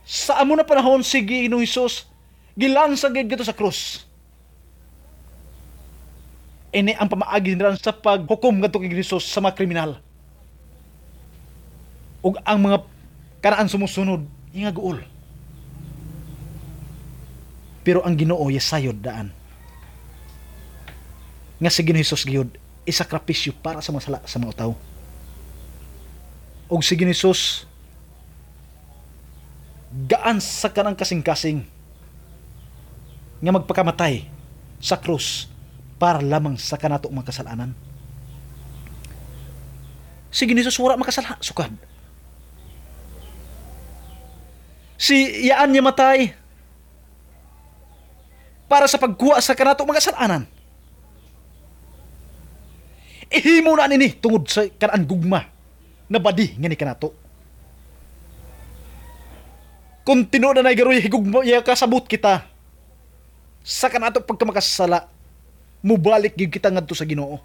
Sa amo na panahon, si Ginoong Hesus gilansa gid dito sa krus. Ini ang pamaagi nila sa paghukom ngadto kay Hesus sa mga kriminal. Ug ang mga kanaan sumusunod nga guol. Pero ang Ginoo yasayod daan nga si Ginoong Hesus gayud isakripisyo para sa mga sala sa mga tawo. Ug si Ginoong Hesus gaan sa kanang kasing-kasing nga magpakamatay sa krus para lamang sa kanato mga kasalanan. Si Ginoong Hesus wala makasala sukad. Si yaan niya matay para sa pagkuha sa kanato mga kasalanan. Ihimo na nini tungod sa kanaan gugma na badi nga ni kanato. Kung tinuod na garoy higugma iya kasabot kita sa kanato pagkamakasala, mubalik gyud kita ngadto sa Ginoo.